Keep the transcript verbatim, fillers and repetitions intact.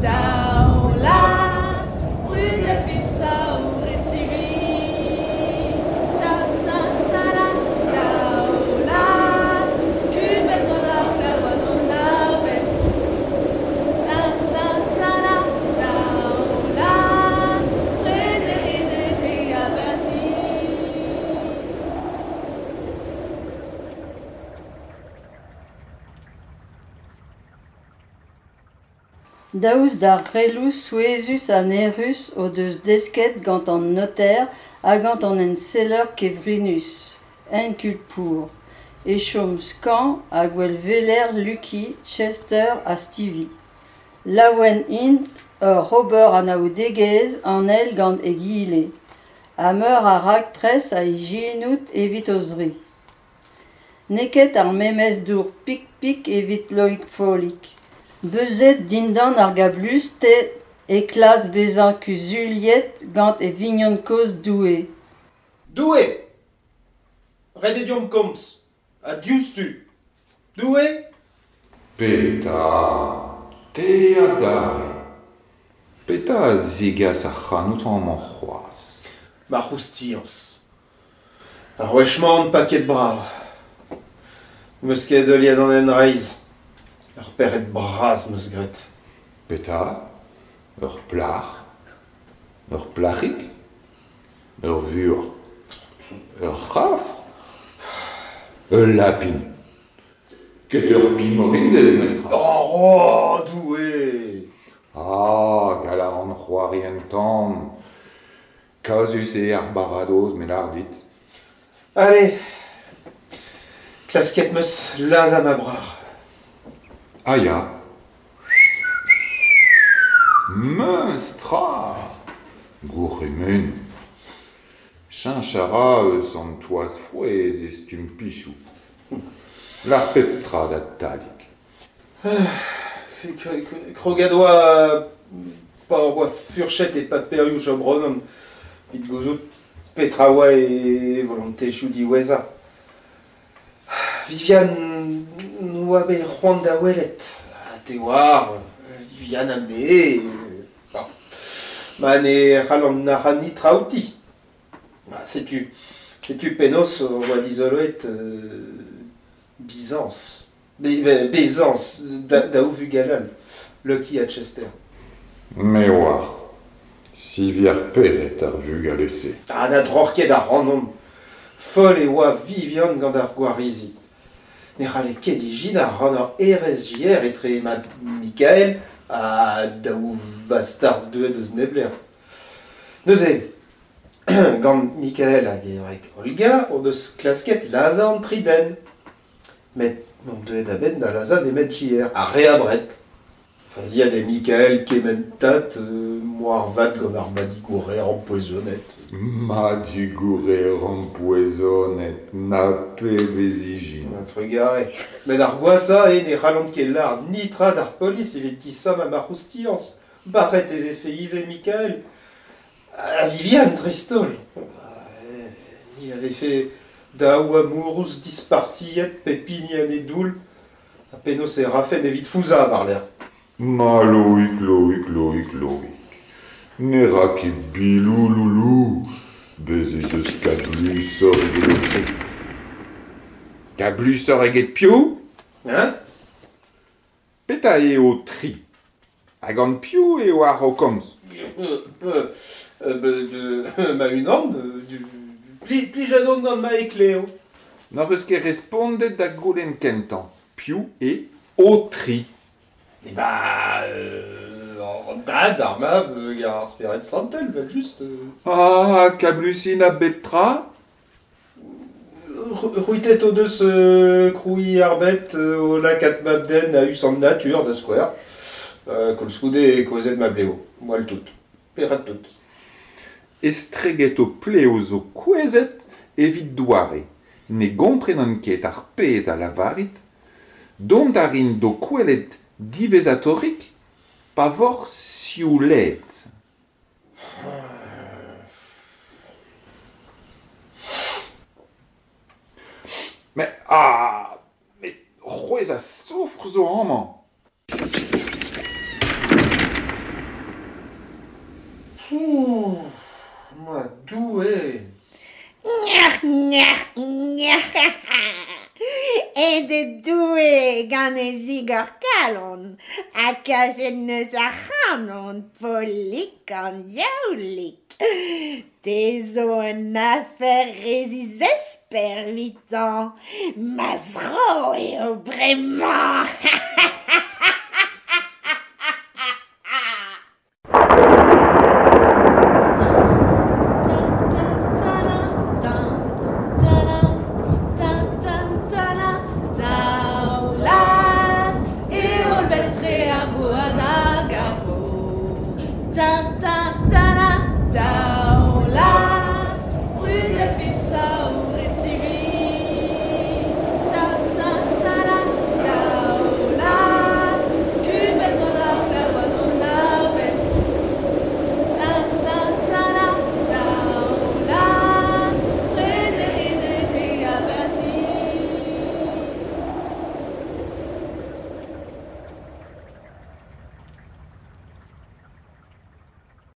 Daoulaz, brudet 'vit saour e sivi. Daoulaz, skubet gant ar glav hag an avel. Daoulaz, prederiet eo abati. Daoust d'ar c'heloù souezhus ha nec'hus o deus desket gant an noter ha gant an enseller kevrinus, Hercule Poirot, e chom skañv ha gwellweler Lucky, Chester ha Stevie. Laouen int oc'h ober anaoudegezh an eil gant egile ha meur a raktres a ijinont evit o-zri. N'eo ket ar memes dour pik-pik evit Loig Follig. Beuzet dindan ar gablusted e klask bezañ kuzuliet gant e vignon kozh Doue. Doue ! Ret eo deomp komz, ha diouzhtu. Doue ! Petra ? Te adarre ? Petra a zegas ac'hanout amañ c'hoazh ? Ma c'houstiañs. Ar wech-mañ on paket brav. N'em eus ket heuliet an hent reizh. Ur pec'hed bras 'm eus graet. Petra ? Ur plac'h ? Ur plac'hig ? Ur vuoc'h ? Ur c'havr ? Ul lapin ? Ket ur pimoridez memestra. Oh, Doue ! Ah, gall a ran c'hoari un tamm. Kazus eo ar baradoz, me lâr dit. Allez, klasket 'm eus lazhañ ma breur. Ah ya. Memes tra ! Gourc'hemennoù. Cheñch a ra eus an toaz frouezh e stumm pichoù. Lâr pep tra da Tadig. Kroget oa pa hor boa furchet e paperioù Job Ronan evit gouzout petra oa e volontezioù diwezhañ. Viviane 'noa bet c'hoant da welet. Ha te oar, Viviane ha me, bon. Ma ne c'hallan nac'hañ netra outi. Ha setu, setu penaos hor boa dizoloet euh, Byzance. Be, bezañs da, daou vugel all, Lucky ha Chester. Me oar. Sivi ar pec'hed ar vugale-se. Ha na droc'h ket ac'hanomp. Foll e oa Viviane gant ar gwarizi. Ne c'halle ket ijinañ rannañ R S J R etre ma Mikael ha daou vastard deuet eus neblec'h. Neuze, gant Mikael hag e wreg Olga o deus klasket lazhañ an tri den. Met n'omp deuet a-benn da lazhañ nemet J R, ar re abred. Faziet eo Mikael kementad euh, moarvat gant ar madigourer empoezonet. Madigourer empoezonet, na pebezh ijin. Trugarez. Met ar gwashañ eo ne c'hallont ket lâr netra d'ar polis evit disammañ ma c'houstiañs. Barret e vefe ivez Mikael. Ha Viviane dreist-holl. Ni a vefe daou amourouz dispartiet pep hini en e doull ha penaos e rafen evit fouzhañ war-lerc'h. Ma Loïc, Loïc, Loïc, Loïc. Ne ra ket biloù loulou. Bez' ez eus kablusoc'h eget ho tri. Kablusoc'h eget piv ? Hein ? Petra eo ho tri ? Ha gant piv eo ar o komz ? Euh, euh, ma-unan, pli, plijet on gant ma ekleo. N'hoc'h eus ket respondet da goulenn kentañ. Piv eo ho tri ? Eh ba, euh, an dad, ar mab, hag ar spered santel, vel just. Euh. Ah, kablusin a bep tra ? C'hwitet o deus euh, krouiñ ar bed euh, o lakaat mab-den a-us an natur da skouer. Euh, koulskoude e kouezhet ma blev, moal tout. Perak tout. Estreget ho plev zo kouezhet evit doare. Ne gomprenan ket ar pezh a lavarit. Dont a rin d'ho kwelet diwezhatorik pa voc'h sioulaet. Met, ah, met c'hwezh a soufr zo amañ. Pouh, ma Doue! Nyac'h, nyac'h, nyac'h, E Doue gant e zigor kalon, ha kaset neus ar c'hanon, polik an diaoulik. Te zo un afer rezizesper huit ans, ma zro eo bremañ. Daoulaz, e holl vetre ar goan hag ar vor.